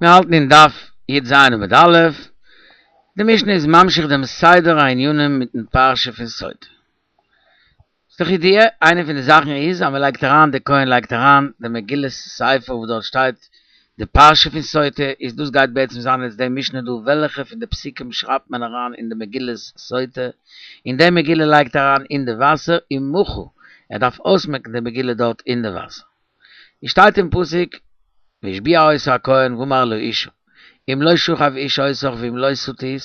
מיר האלטן אין דף י"ז עמוד א', די משנה איז ממשיך דעם סדר הענינים מיטן פרשה פון סוטה. ס'איז דאך ידוע, איינע פון די זאכן איז אז מען לייגט אריין, די כהן לייגט אריין די מגילת ספר וואס דארט שטייט די פרשה פון סוטה, איז דאס גייט בעצם זיין יעצט די משנה דא, וועלכע פון די פסוקים שרייבט מען אריין אין די מגילת סוטה, און די מגילה לייגט אריין אין די וואסער, ומחה, ער דארף אויסמעקן די מגילה דארט אין די וואסער. עס שטייט אין פסוק, והשביע אותה הכהן ואמר אל האשה, אם לא שכב איש אותך ואם לא שטית,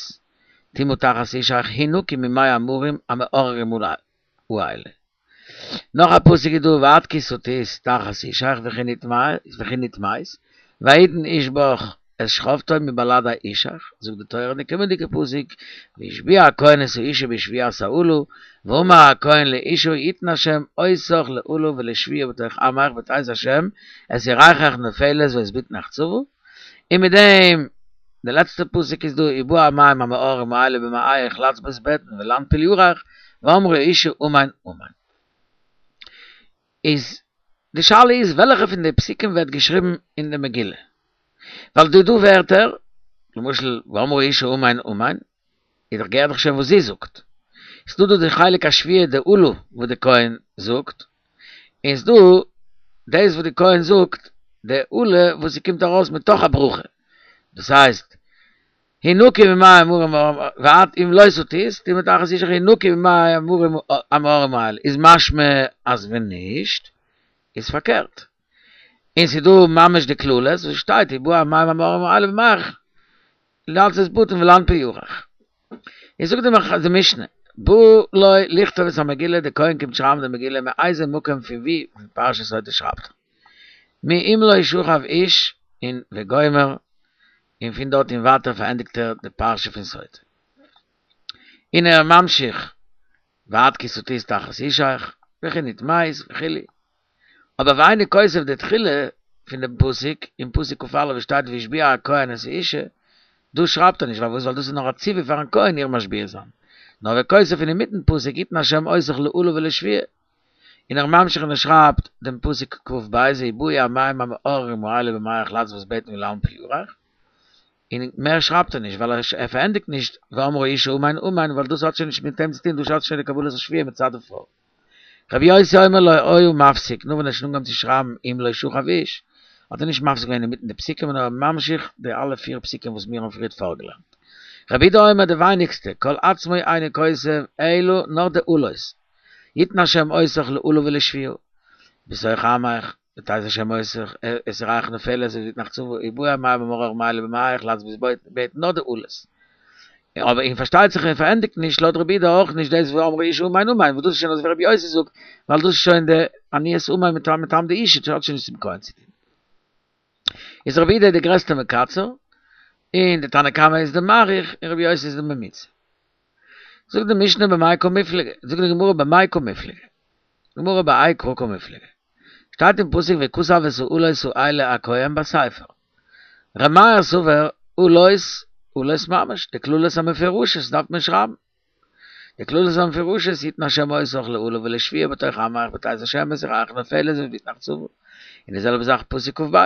טומאה תחת אישך, הנקי ממי המרים המאררים האלה. נאך א פסוק איז דא ואת כי שטית תחת אישך וכי נטמאת, ויתן איש בך את שכבתו מבלעדי אישך, זאגט די תורה אין די קומענדיגע פסוק, והשביע הכהן את האשה בשבועת האלה, ואמר הכהן לאשה יתן השם אותך לאלה ולשבועה בתוך עמך בתת השם את ירכך נופלת ואת בטנך צבה, און מיט דעם די לעצטע פסוק איז דא ובאו המים המאררים האלה במעיך לצבות בטן ולנפיל ירך ואמרה האשה אמן אמן. איז די שאלה איז וועלכע פון די פסוקים ווערט געשריבן אין די מגילה? ווייל דא דא ווערטער, למשל ואמרה האשה אמן אמן, איז דאך געהערט דאך שוין וואס זי זאגט. ס'דא דא די חלק השבועה די אלה וואס די כהן זאגט, און ס'דא דאס וואס די כהן זאגט די אלה וואס ס'קומט ארויס מתוך הברכה, דאס הייסט הנקי ממי המרים ואת אם לא שטית טומאה תחת אישך הנקי ממי המרים המאררים האלה איז משמע אז ווען נישט איז פארקערט. און ס'איז דא ממש די קללות וואס שטייט ובאו המים המאררים האלה במעיך לצבות בטן ולנפיל ירך. איז זאגט די משנה, בא לו לכתוב את המגילה, די כהן קומט שרייבן די מגילה מאיזה מקום פון ווי פון פרשת סוטה שרייבט ער. מאם לא שכב איש און וגומר, און פון דארט און ווייטער פארענדיגט ער די פרשה פון סוטה. און ער ממשיך ואת כי שטית תחת אישך וכי נטמאת וכו'. אבער ואינו כותב די תחילה פון דעם פסוק, אין פסוק כ"א וואו שטייט והשביע הכהן את האשה, דא שרייבט ער נישט, פארוואס? ווייל דאס איז נאר א ציווי פארן כהן איר משביע זיין. נאר וכותב פון אינמיטן פסוק יתן השם אותך לאלה ולשבועה. און ער ממשיך און ער שרייבט דעם פסוק כ"ב ובאו המים המאררים האלה במעיך לצבות בטן ולנפיל ירך. און מער שרייבט ער נישט ווייל ער פארענדיגט נישט ואמרה האשה אמן אמן ווייל דאס האט שוין נישט מיט אים צו טון דאס האט שוין די קבלת השבועה מצד די פרוי. רבי יוסי אומר לא היה מפסיק נאר ווען ער האט שוין אנגעהויבן צו שרייבן אם לא שכב איש האט ער נישט מפסיק געווען אינמיטן די פסוקים נאר ער ממשיך די אלע פיר פסוקים וואס מיר האבן פריערט פארגעלערנט. רבי יהודה אומר די ווייניגסטע כל עצמו אינו כותב אלא נאר די אלות יתן השם אותך לאלה ולשבועה בתוך עמך בתת השם אותך את ירכך נופלת ואת בטנך צבה ובאו המים המאררים האלה במעיך לצבות בטן נאר די אלות. אבער און פארשטייט זיך ער פארענדיגט נישט לויט רבי יהודה אויך נישט דאס ואמרה האשה אמן אמן וואס דאס איז שוין אזויווי רבי יוסי זאגט ווייל דאס איז שוין די עניית אמן מטעם די אישה האט שוין נישט צום כהן צו טון. איז רבי יהודה די גרעסטע מקצר און די תנא קמא איז די מאריך און רבי יוסי איז די ממוצע. זאגט די משנה במאי קמיפלגי זאגט די גמרא במאי קמיפלגי גמרא בהאי קרא קמיפלגי שטייט אין פסוק וכתב את האלות האלה הכהן בספר. ר' מאיר סובר אלות אלות ממש, די קללות המפורשות דארף מען שרייבן. די קללות המפורשות יתן השם אותך לאלה ולשבועה בתוך עמך בתת השם את ירכך נופלת ואת בטנך צבה. און די זעלבע זאך פסוק כ"ב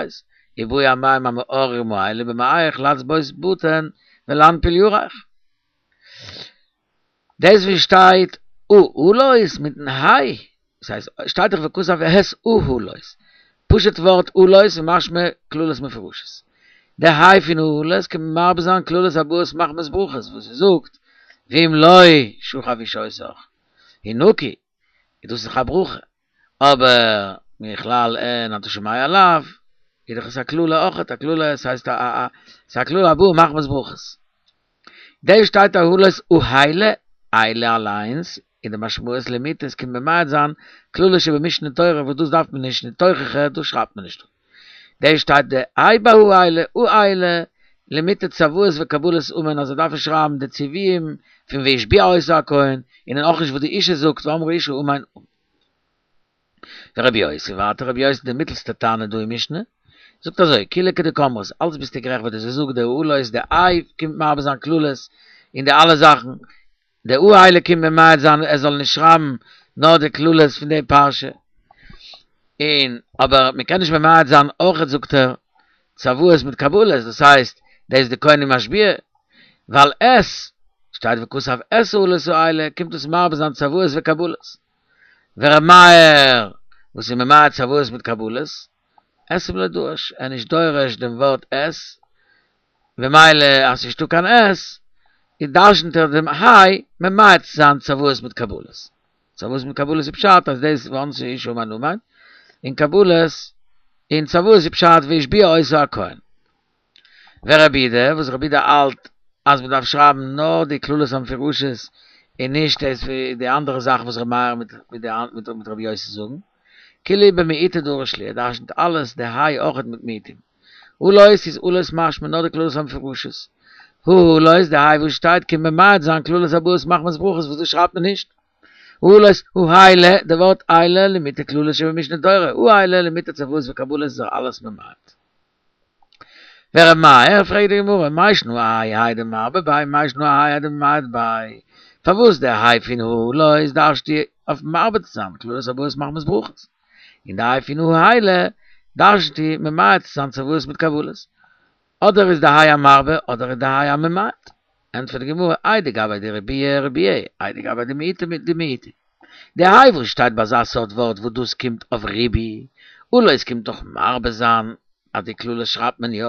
ובאו המים המאררים האלה במעיך לצבות בטן ולנפיל ירך. דאס וואס שטייט האלות מיטן היי, דאס הייסט שטייט דאך וכתב את האלות, פשוט ווארט אלות איז משמע קללות מפורשות. די היי פון האלות קען מרבה זיין קללות הבאות מחמת ברכות וואס עס זאגט ואם לא שכב איש אותך הנקי איז דאס דאך א ברכה, אבער מכלל הן אתה שומע לאו איז דאך עס א קללה אויכעט א קללה עס הייסט א א ס'איז א קללה הבאה מחמת ברכות. דא שטייט האלות האלה, אלה אליינס, און די משמעות למעוטי עס קומט ממעט זיין קללה שבמשנה תורה וואס דאס דארף מען נישט נישט תוכחה דאס שרייבט מען נישט דא. דא שטייט די היי ביי האלה, האלה, למעוטי צוואות וקבלת אמן אז ער דארף נישט שרייבן די ציוויים פון והשביע אותה הכהן, און אויך נישט וואס די אישה זאגט ואמרה האשה אמן אמן. ורבי יוסי ווייטער רבי יוסי די מיטלסטע תנא דא אין משנה זאגט אזוי כולהו כדקאמרת אלץ ביסטו גערעכט וואס דו זאגסט די האלות די היי קומט מרבה זיין קללות און די אלע זאכן די האלה קומט ממעט זיין ער זאל נישט שרייבן נאר די קללות פון די פרשה און אבער מען קען נישט ממעט זיין אויכעט זאגט ער. צוואות מיט קבלות, דאס הייסט דאס די כהן איז משביע, ווייל את שטייט וכתב את האלות האלה קומט דאס מרבה זיין צוואות וקבלות. ור' מאיר וואס איז ממעט צוואות מיט קבלות, אתים לא דרש, ער איז נישט דורש דעם ווארט את, במילא אז ס'נישטא קיין את, איז דרשנ'ט ער דעם היי ממעט זיין צוואות מיט קבלות. צוואות מיט קבלות איז פשט אז דאס וענתה האשה אמן אמן, און קבלות און צוואות איז פשט והשביע אותה הכהן. ורבי יהודה, וואס רבי יהודה האלט אז מ'דארף שרייבן נאר די קללות המפורשות און נישט דאס די אנדערע זאכן וואס רבי מאיר מיט רבי יוסי זאגן. כולהו במיעוטי דריש להו, ער דרשנ'ט אלעס די היי אויכעט מיט מיעוטים. אלות איז אלות משמע נאר די קללות המפורשות. האלות די היי וואס שטייט קומט ממעט זיין קללות הבאות מחמת ברכות וואס דאס שרייבט מען נישט. האלות האלה די ווארט אלה למעוטי קללות שבמשנה תורה האלה למעוטי צוואות וקבלות איז ער אלעס ממעט. ור' מאיר, פרעגט די גמרא, מאי שנא האי האי דמרבה ביה מאי שנא האי האי דממעט ביה, פארוואס די היי פון האלות דרש'נט אויף מרבה צו זיין קללות הבאות מחמת ברכות, און די היי פון האלה דרש'נט ממעט צו זיין צוואות מיט קבלות, אדער איז די היי א מרבה אדער איז די היי א ממעט, ענטפערט די גמרא, האי דגבי דרבויי רבויי, האי דגבי דמיעוטא דמיעוטי. די היי וואס שטייט ביי אזא סארט ווארט וואס דאס קומט אויף ריבוי, אלות קומט דאך מרבה זיין אז די קללות שרייבט מען יא,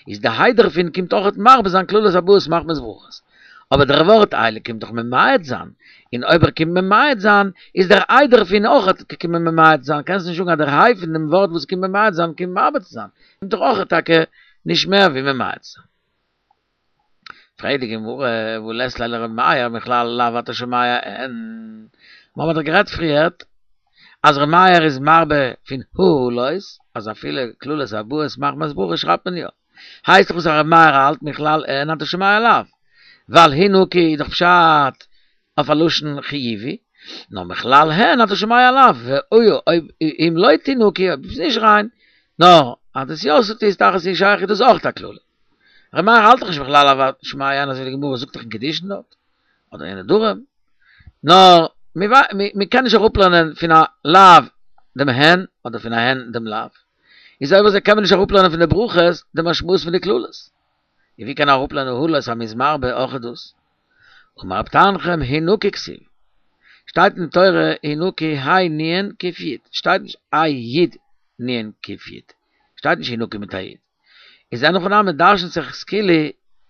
איז די היי דערפון קומט אויכעט מרבה זיין קללות הבאות מחמת ברכות. אבער דער ווארט אלה קומט דאך ממעט זיין, און אויב ער קומט ממעט זיין, איז דער היי דערפון אויכעט געקומען ממעט זיין, קענסט נישט זאגן אז דער היי פון דעם ווארט וואס קומט ממעט זיין קומט מרבה צו זיין, קומט דאך אויכעט טאקע נישט מער ווי ממעט זיין. פרעגט די גמרא, והא לית ליה לר' מאיר מכלל לאו אתה שומע הן? מיר האבן דאך גערעדט פריערט אז ר' מאיר איז מרבה פון האלות, אז אפילו קללות הבאות מחמת ברכה שרייבט מען יא. הייסט דאך וואס ר' מאיר האלט מכלל הן אתה שומע לאו, ווייל הינקי איז דאך פשט אויף א לשון חיובי, נאר מכלל הן אתה שומע לאו, ואויב אם לא תינקי אויב ביסט נישט ריין, נאר אז דאס יא ס'טוט תחת אישך איז דאס אויך א קללה. ר' מאיר האלט דאך נישט מכלל לאו אתה שומע הן אזוי ווי די גמרא זאגט דאך אין קידושין דארט, אדער אין נדרים, נאר מ'קען נישט אראפלערנען פון א לאו דעם הן, אדער פון א הן דעם לאו. איז אויב אזוי קען מען נישט אראפלערנען פון די ברכות די משמעות פון די קללות. און ווי קען מען אראפלערנען האלות אז מ'איז מרבה אויך דאס? אמר רב תנחום הינקי כתיב, שטייט אין תורה הינקי היי נון קוף יוד, שטייט נישט היי יוד נון קוף יוד, שטייט נישט הינקי מיט א יוד. איז אין הכי נמי דרשנ'ט זיך עס כאילו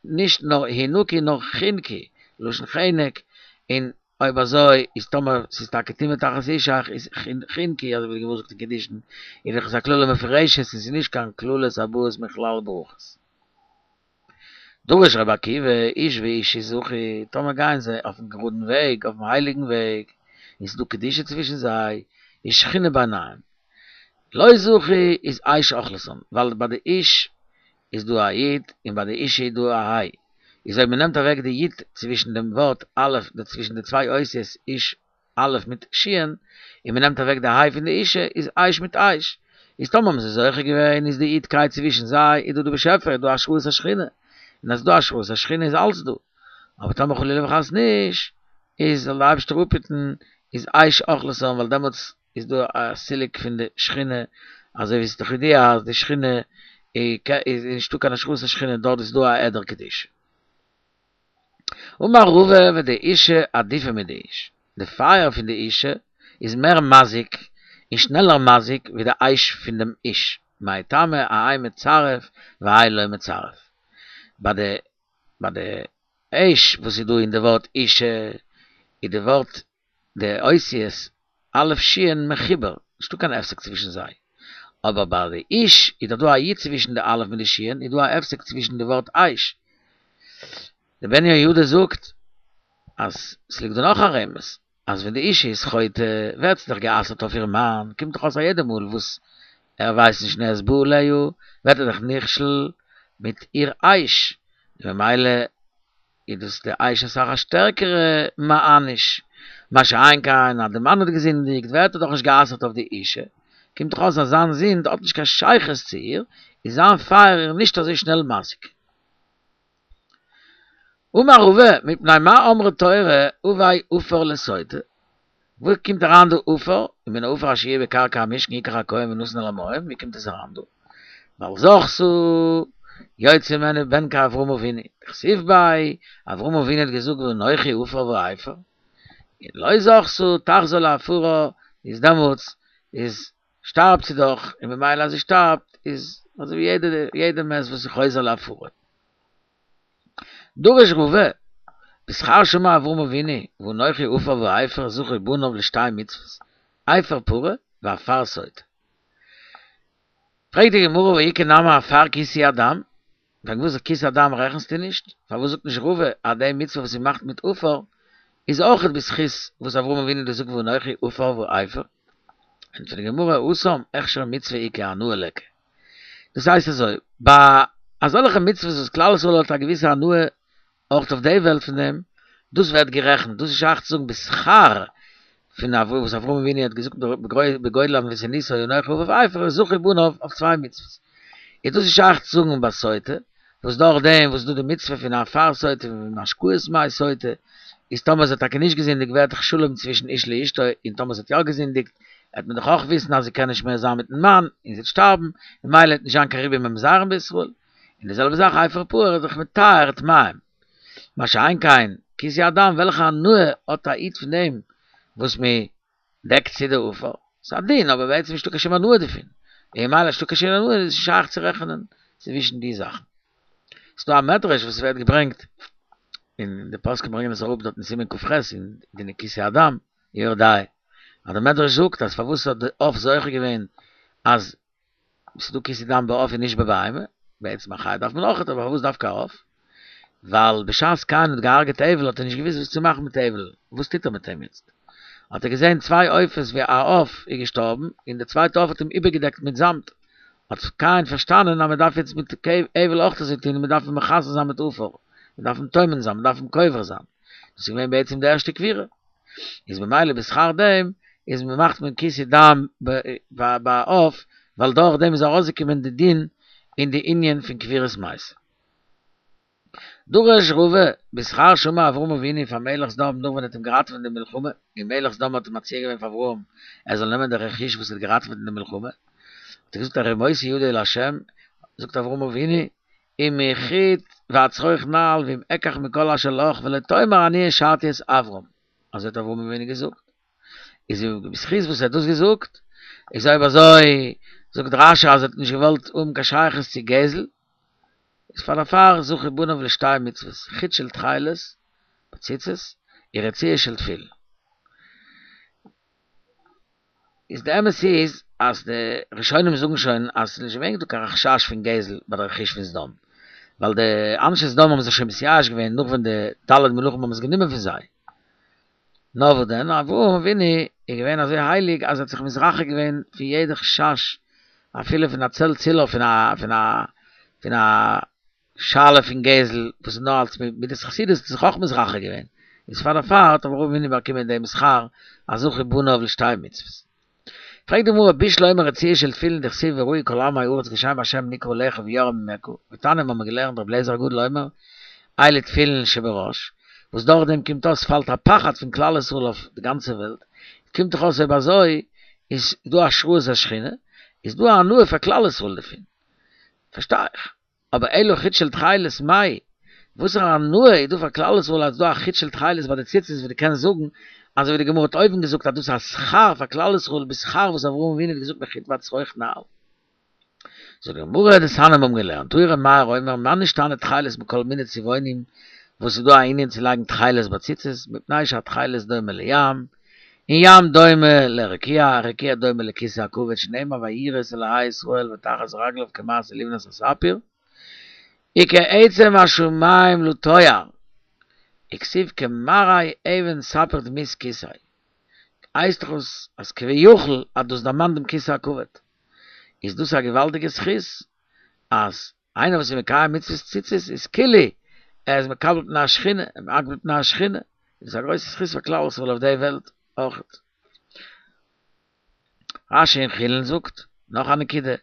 נישט נאר הינקי נאר חינקי, לשון חנק, און אויב אזוי איז טאמער ס'איז טאקע טומאה תחת אישך איז חינקי אזוי ווי די גמרא זאגט אין קידושין איז דאך עס א קללה מפורשת און ס'איז נישט קיין קללות הבאות מכלל ברכות. דרש רבי עקיבא, איש ואשה זכו, טאמער גייען זיי אויפן גראדן וועג, אויפן הייליגן וועג, און ס'איז דא קדושה צווישן זיי, איז שכינה ביניהם. לא זכו איז אש אוכלתן, ווייל ביי די איש איז דא א י' און ביי די אישה איז דא א ה', איז אויב מ'נעמט אוועק די י' צווישן דעם ווארט א', די צווישן די צוויי אותיות איש א' מיט שין, און מ'נעמט אוועק די ה' פון די אישה, איז אש מיט אש. איז טאמער האבן זיי זוכה געווען, איז די אידקייט צווישן זיי, איז דא די באשעפער, איז דא השראת השכינה. און אז ס'איז דא השראת השכינה איז אלץ דא. אבער טאמער חלילה וחס נישט, איז זאל די אייבערשטער אפהיטן, איז אש אוכלתן, ווייל דעמאלטס איז דא א סילוק פון די שכינה, אזוי ווי ס'איז דאך ידוע אז די שכינה איז נישטא קיין השראת השכינה דארט איז דא א העדר קדושה. אמר רבא ודאישה עדיפא מדאיש, די פייער פון די אישה איז מער מזיק און שנעלער מזיק ווי די אש פון דעם איש, מאי טעמא האי מצרף והאי לא מצרף. ביי די ביי די אש וואס איז דא אין די ווארט אישה איז די ווארט די אותיות א' שין מחובר, נישטא קיין הפסק צווישן זיי. אבער ביי די איש איז דאך דא א י' צווישן די א' מיט די שין, איז דא א הפסק צווישן די ווארט אש. די בן יהוידע זאגט אז ס'ליגט דא נאך א רמז, אז ווען די אישה איז חוטא ווערט זי דאך גע'אסר'ט אויף איר מאן, קומט דאך אויס א יעדע מאל וואס ער ווייסט נישט און ער איז בא עליה, ווערט ער דאך נכשל מיט איר אש, און ממילא איז דאס די אש אסאך א שטערקערע מעניש, מה שאין כן אז די מאן האט געזינדיגט ווערט ער דאך נישט גע'אסר'ט אויף די אישה, קומט דאך אויס אז זיין זינד האט נישט קיין שייכות צו איר, איז זיין פייער איר נישט אזוי שנעל מזיק. אמר רבא, מפני מה אמרה תורה הבא עפר לסוטה? וואו קומט אריין דא עפר? ומן העפר אשר יהיה בקרקע המשכן יקח הכהן ונתן אל המים, ווי קומט עס אריין דא? ווייל זכתה יוצא ממנה בן כאברהם אבינו, דכתיב ביה, אברהם אבינו האט געזאגט ואנכי עפר ואפר, און לא זכתה תחזור לעפרה, איז דעמאלטס איז שטארבט זי דאך, און ממילא אז זי שטארבט איז אזוי ווי יעדע יעדע מת וואס איז חוזר לעפרו. דרש רבא, בשכר שאמר אברהם אבינו ואנכי עפר ואפר זכו בניו לשתי מצוות, אפר פרה ועפר סוטה. פרעגט די גמרא והא איכא נמי עפר כיסוי הדם, פארוואס כיסוי הדם רעכנסטו נישט? פארוואס זאגט נישט רבא אז די מצוה וואס מ'מאכט מיט עפר איז אויכעט בזכות וואס אברהם אבינו האט געזאגט ואנכי עפר ואפר? ענטפערט די גמרא התם הכשר מצוה איכא הנאה ליכא. דאס הייסט אזוי, ביי אזעלכע מצוות וואס כלל ישראל האט א געוויסע הנאה אויך אויף די וועלט פון דעם, דאס ווערט גערעכנט, דאס איז שייך צו זאגן בשכר פון אברהם וואס אברהם אבינו האט געזאגט בגודל ענוותנותו אנכי עפר ואפר זכו בניו אויף צוויי מצוות, איז דאס איז שייך צו זאגן ביי סוטה, וואס דורך דעם וואס איז דא די מצוה פון עפר סוטה און השקאת מי סוטה, איז טאמער זי האט טאקע נישט געזינדיגט ווערט דאך שלום צווישן איש לאשתו, און טאמער זי האט יא געזינדיגט וועט מען דאך אויך וויסן אז זי קען נישט מער זיין מיטן מאן און זי וועט שטארבן, ממילא וועט נישט זיין קיין ריבוי ממזרים בישראל. און די זעלבע זאך אפר פרה איז דאך מטהר טמאים. מה שאין כן כיסוי הדם וועלכע הנאה האט א איד פון דעם וואס מען דעקט צו די עפר? ס'איז א דין אבער בעצם נישטא קיין שום הנאה דערפון. און ממילא נישטא קיין שום הנאה איז נישט שייך צו רעכענען צווישן די זאכן. ס'דא א מדרש וואס ווערט געברענגט און די פוסקים ברענגען עס אראפ דארט אין סימן ק"ח אין דיני כיסוי הדם, יורה דעה, אז די מדרש זאגט אז פארוואס האט די עוף זוכה געווען אז ס'איז דא כיסוי דם בעוף און נישט בבהמה, בעצם א חיה דארף מען אויכעט, אבער פארוואס דווקא א עוף? ווייל בשעת קין האט געהארגעט הבל האט ער נישט געוואוסט וואס צו מאכן מיט הבל, וואס טוט ער מיט אים יעצט? האט ער געזען צוויי עופות ווי א עוף איז געשטארבן און די צווייטע עוף האט אים איבערגעדעקט מיט זאמד, האט קין פארשטאנען אז מען דארף יעצט מיט הבל אויך אזוי טון, מען דארף אים מכסה זיין מיט עפר, מען דארף אים טומן זיין, מען דארף אים קובר זיין, דאס איז געווען בעצם די ערשטע קבירה. איז ממילא בשכר דעם איז מען מאכט מען כיסוי דם ביי עוף ווייל דורך דעם איז ארויסגעקומען די דין אין די ענין פון קבורת מת. דרש רבא בשכר שאמר אברהם אבינו פאר מלך סדום נאך ווען ער האט אים געראטעוועט אין די מלחמה און מלך סדום האט מציע געווען פאר אברהם ער זאל נעמען די רכוש וואס ער האט געראטעוועט אין די מלחמה האט ער געזאגט הרימותי ידי לה' זאגט אברהם אבינו אם מחוט ועד שרוך נעל ואם אקח מכל אשר לך ולא תאמר אני העשרתי את אברם, אזוי האט אברהם אבינו געזאגט, איז בזכות וואס ער האט דאס געזאגט, איז אויב אזוי זאגט רש"י אז ער האט נישט געוואלט האבן קיין שייכות צו גזל, איז פאר דערפאר זכו בניו לשתי מצוות, חוט של תכלת בציצית, און רצועה של תפילין. איז די אמת איז אז די ראשונים זאגן שוין אז ס'איז נישט געווען דא קיין חשש פון גזל ביי די רכוש פון סדום, ווייל די אנשי סדום האבן זיך שוין מתייאש געווען נאך ווען די ד' מלכים האבן עס גענומען פון זיי. נאר וואס דען, אברהם אבינו איז געווען אזוי הייליג אז ער האט זיך מתרחק געווען פון יעדע חשש אפילו פון א צל צילו פון א פון א פון א שאלה פון גזל וואס איז נאר אלס מידת חסידות האט זיך אויך מתרחק געווען, איז פאר דערפאר האט אברהם אבינו באקומען דעם שכר אז זכו בניו לשתי מצוות. פרעגט די גמרא בשלמא רצועה של תפילין דכתיב וראו כל עמי הארץ כי שם השם נקרא עליך ויראו ממך, ותניא מיר האבן געלערנט רבי אליעזר הגדול אומר אלו תפילין שבראש, וואס דורך דעם קומט אויס פאלט א פחד פון כלל ישראל אויף די גאנצע וועלט, קומט דאך אויס אויב אזוי איז דא השראת השכינה, איז דא א הנאה פאר כלל ישראל דערפון, פארשטיי איך. אבער אלא חוט של תכלת מאי, וואסערע הנאה איז דא פאר כלל ישראל אז ס'דא א חוט של תכלת ביי די ציצית וואס דו קענסט זאגן, אזוי ווי די גמרא האט אויבן געזאגט אז דאס איז א שכר פאר כלל ישראל בשכר וואס אברהם אבינו האט געזאגט מחוט ועד שרוך נעל. זאגט די גמרא דתניא מיר האבן געלערנט תנא ר' מאיר אומר מה נשתנה תכלת מכל מיני צבעונים וואס איז דא א ענין צו לייגן תכלת ביי ציצית מפני שהתכלת דומה לים און ים דומה לרקיע, רקיע דומה לכסא הכבוד שנאמר וירא את אלהי ישראל ותחת רגליו כמעשה לבנת הספיר, וכעצם השמים לטוהר, וכתיב כמראה אבן ספיר דמות כסא, הייסט דאך אויס אז כביכול אז דאס דערמאנט דעם כסא הכבוד, איז דאס א געוואלדיגע זכות אז איינער וואס איז מקיים מצוות ציצית איז כאילו ער איז מקבל פני השכינה, ער מקבל פני השכינה, איז א גרויסע זכות פאר כלל ישראל אויף די וועלט אויכעט. רש"י אין חולין זאגט נאך א נקודה,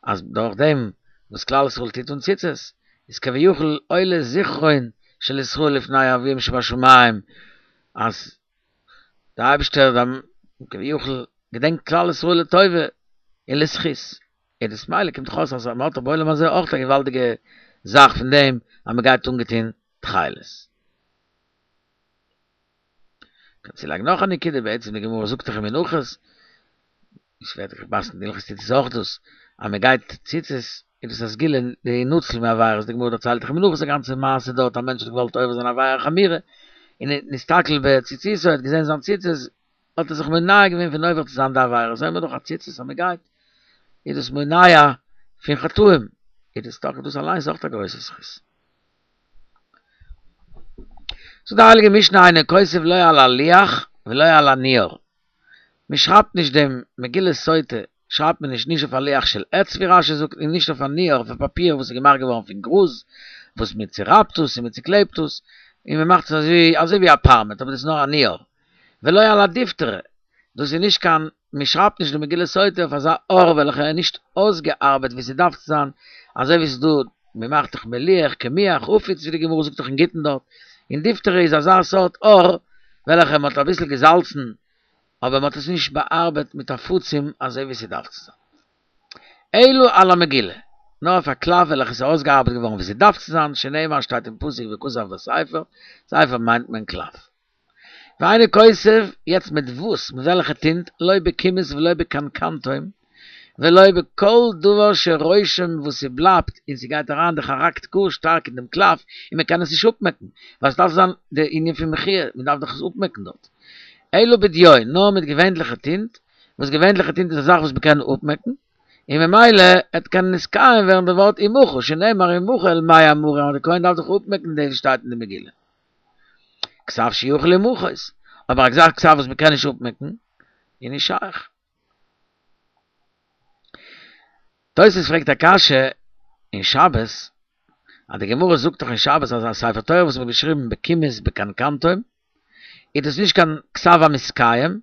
אז דורך דעם וואס כלל ישראל טוט אן ציצית, איז כביכול עולה זכרון של ישראל לפני אביהם שבשמים, אז דער אייבערשטער כביכול געדענקט כלל ישראל לטובה און לזכות. איז דאס ממילא קומט דאך אויס אז מען האט בעולם הזה אויך א געוואלדיגע זאך פון דעם אז מען גייט אנגעטון תכלת. קען צולייגן נאך א נקודה, בעצם די גמרא זאגט דאך אין מנחות, עס ווערט געפסקנט אין הלכות ציצית אויך דאס, אז מען גייט ציצית איז דאס א סגולה להינצל מעבירות, די גמרא דערציילט דאך אין מנחות א גאנצע מעשה דארט, א מענטש האט געוואלט עובר זיין עבירה חמורה, און ער האט נסתכל בציציתו, ער האט געזען זיין ציצית, האט ער זיך מונע געווען פון עובר צו זיין די עבירה, זעען מיר דאך אז ציצית אז מען גייט איז דאס מונע פון חטאים, איז דאס טאקע דאס אליינס אויך א גרויסע זכות. זאגט די הייליגע משנה אינו כותב לא על הלוח ולא על הנייר, מען שרייבט נישט דעם מגילת סוטה שרייבט מען נישט נישט אויף א לוח של עץ ווי רש"י זאגט און נישט אויף א נייר אויף א פאפיר וואס איז געמאכט געווארן פון גראז וואס מען צורייבט עס און מען צוקלעבט עס און מען מאכט עס אזוי אזוי ווי א פארמעט אבער דאס איז נאר א נייר ולא על הדיפתרא דאס איז נישט קיין מען שרייבט נישט די מגילת סוטה אויף אזא עור וועלכע איז נישט אויסגעארבעט ווי ס'דארף צו זיין אזוי ווי ס'איז דא מען מאכט דאך מליח קמיח עפיץ ווי די גמרא זאגט דאך אין גיטין דארט און דיפתרא איז אזא סארט עור וועלכע מען האט אביסל געזאלצן אבער מען האט עס נישט באארבעט מיט עפצים אזוי ווי ס'דארף צו זיין. אלא על המגילה, נאר אויף א קלף וועלכע איז אויסגעארבעט געווארן ווי ס'דארף צו זיין, שנאמר שטייט אין פסוק וכתב בספר, ספר מיינט מען קלף. ואינו כותב, יעצט מיט וואס, מיט וועלכע טינט, לא בקומוס ולא בקנקנתום, ולא בכל דבר שרושם וואס ס'בלייבט און ס'גייט אריין די חרקט גאר שטארק אין דעם קלף און מ'קען עס נישט אפמעקן, ווייל ס'דארף זיין די ענין פון מחייה, מ'דארף דאך עס אפמעקן דארט. אלא בדיו, נאר מיט געווענליכע טינט, וואס געווענליכע טינט איז א זאך וואס מ'קען אפמעקן, און ממילא עט קענען נתקיים ווערן די ווארט ומחה, שנאמר ומחה אל מי המרים אז די כהן דארף דאך אפמעקן דאס וואס שטייט אין די מגילה. כתב שיכול למחות, אבער אזא כתב וואס מ'קען נישט אפמעקן, איז נישט שייך. תוס' פרעגט א קשיא אין שבת, אז די גמרא זאגט דאך אין שבת אז א ספר תורה וואס מ'האט געשריבן בקומוס בקנקנתום, איז דאס נישט קיין כתב המתקיים,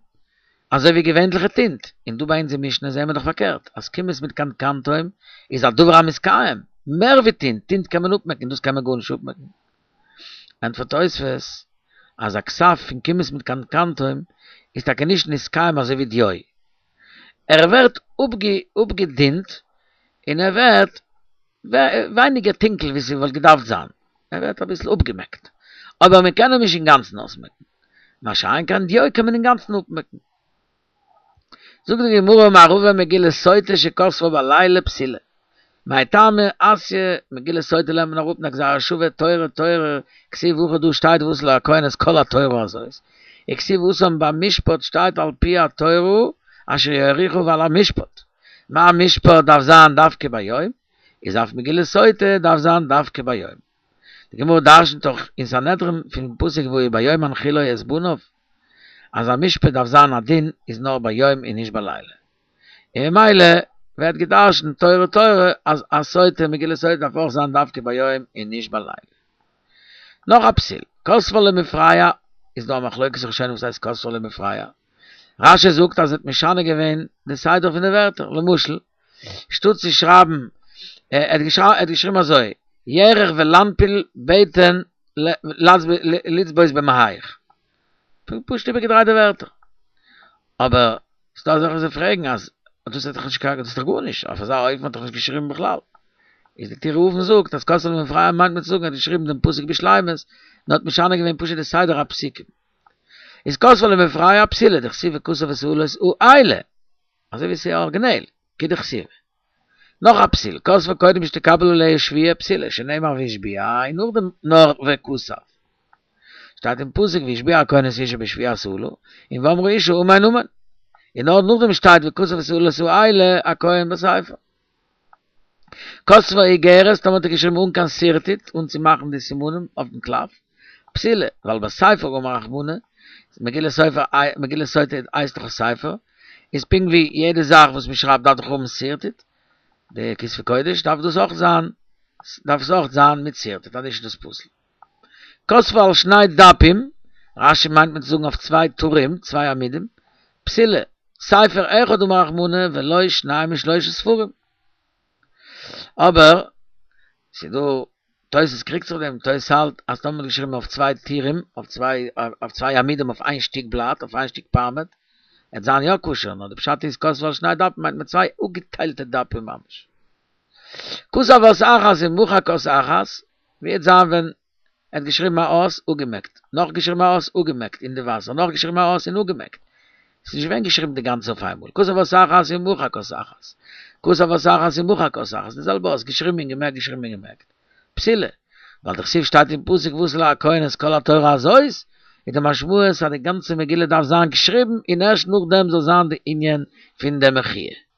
אזוי ווי געווענליכע טינט, און דא ביי אונז אין משנה זעהן מיר דאך פארקערט, אז קומוס מיט קנקנתום איז א דבר המתקיים, מער ווי טינט, טינט קען מען אפמעקן, דאס קען מען גארנישט אפמעקן. ענטפערט תוספות אז א כתב פון קומוס מיט קנקנתום איז טאקע נישט נתקיים אזוי ווי דיו, ער ווערט אפגעדינט און ער ווערט ווייניגער טונקל ווי ס'וואלט געדארפט זיין, ער ווערט אביסל אפגעמעקט, אבער מען קען אים נישט אינגאנצן אויסמעקן, מה שאין כן דיו קען מען אינגאנצן אפמעקן. זאגט די גמרא אמר רבא מגילת סוטה שכתבה בלילה פסולה. מאי טעמא אתיא מגילת סוטה לערנט מען אראפ אין א גזירה שווה תורה תורה כתיב הכא דא שטייט ועשה הכהן את כל התורה הזאת וכתיב התם ביי משפט שטייט על פי התורה אשר יורוך ועל המשפט מה משפט דארף זיין דווקא ביום איז אף מגילת סוטה דארף זיין דווקא ביום די גמרא דרשנ'ט דאך אין סנהדרין פון פסוק והיה ביום הנחילו את בניו אז א משפט דארף זיין א דין איז נאר ביום און נישט בלילה. און ממילא ווערט געדרשנט תורה תורה אז א סוטה מגילת סוטה דארף אויך זיין דווקא ביום און נישט בלילה. נאך א פסול, כתבה למפרע, איז דא א מחלוקת ראשונים וואס הייסט כתבה למפרע. רש"י זאגט אז ער האט משנה געווען די סדר פון די ווערטער, למשל, שטאט צו שרייבן, ער האט געשריבן אזוי, ירך ולנפיל בטן לצבות במעיך. פשוט איבערגעדרייט די ווערטער. אבער ס'דא אזעלכע וואס פרעגן אז דאס האט דאך נישט קיין, דאס איז דאך גארנישט, אויף אזא אופן האט דאך נישט געשריבן בכלל. איז די טורי אבן זאגט אז כתבה למפרע מיינט מען צו זאגן ער האט געשריבן דעם פסוק בשלימות, נאר האט משנה געווען פשוט די סדר הפסוקים. איז כתבה למפרע פסולה, דכתיב וכתב את האלות האלה, אזוי ווי ס'איז ארגינעל, כדכתיב. נאך א פסול, כתבה קודם שתקבל עליה שבועה פסולה, שנאמר והשביע, און נאכדעם נאר וכתב. שטייט אין פסוק והשביע הכהן את האשה בשבועת האלה, און ואמרה האשה אמן אמן. און נאר נאכדעם שטייט וכתב את האלות האלה הכהן בספר. כתבה איגרת, טאמער האט ער געשריבן אן קיין שרטוט, אן צו מאכן די סימנים אויפן קלף, פסולה, ווייל בספר אמר רחמנא, מגילת סופר, מגילת סוטה הייסט דאך א ספר, איז פונקט ווי יעדע זאך וואס מען שרייבט דארף דאך האבן שרטוט, די כתבי קודש דארף דאס אויך זיין, דארף עס אויך זיין מיט שרטוט, אנישט איז דאס פסול. כתבה על שני דפים, רש"י מיינט מען צו זאגן אויף צוויי טורים, צוויי עמודים, פסולה, ספר אחד אמר רחמנא ולא שניים ושלושה ספרים. אבער, ס'איז דא, תוס' קריגט זיך אויף דעם, תוס' האלט אז טאמער מ'האט געשריבן אויף צוויי טורים, אויף צוויי, אויף צוויי עמודים אויף איין שטיק בלאט, אויף איין שטיק פארמעט, עט זיין יא כשר, נאר די פשט איז כתבו על שני דפים מיינט מען צוויי אפגעטיילטע דפים ממש. כתב אות אחת ומחק אות אחת, ווי עט זיין ווען ער האט געשריבן א אות, אפגעמעקט, נאך געשריבן א אות, אפגעמעקט אין די וואסער, נאך געשריבן א אות און אפגעמעקט. ס'איז נישט געווען געשריבן די גאנצע אויף איינמאל. כתב אות אחת ומחק אות אחת. כתב אות אחת ומחק אות אחת. די זעלבע אות, געשריבן און געמעקט, געשריבן און געמעקט. פסולה. ווייל דכתיב שטייט אין פסוק ועשו לכהן את כל התורה הזאת, איז די משמעות אז די גאנצע מגילה דארף זיין געשריבן און ערשט נאכדעם זאל זיין די ענין פון די מחי'.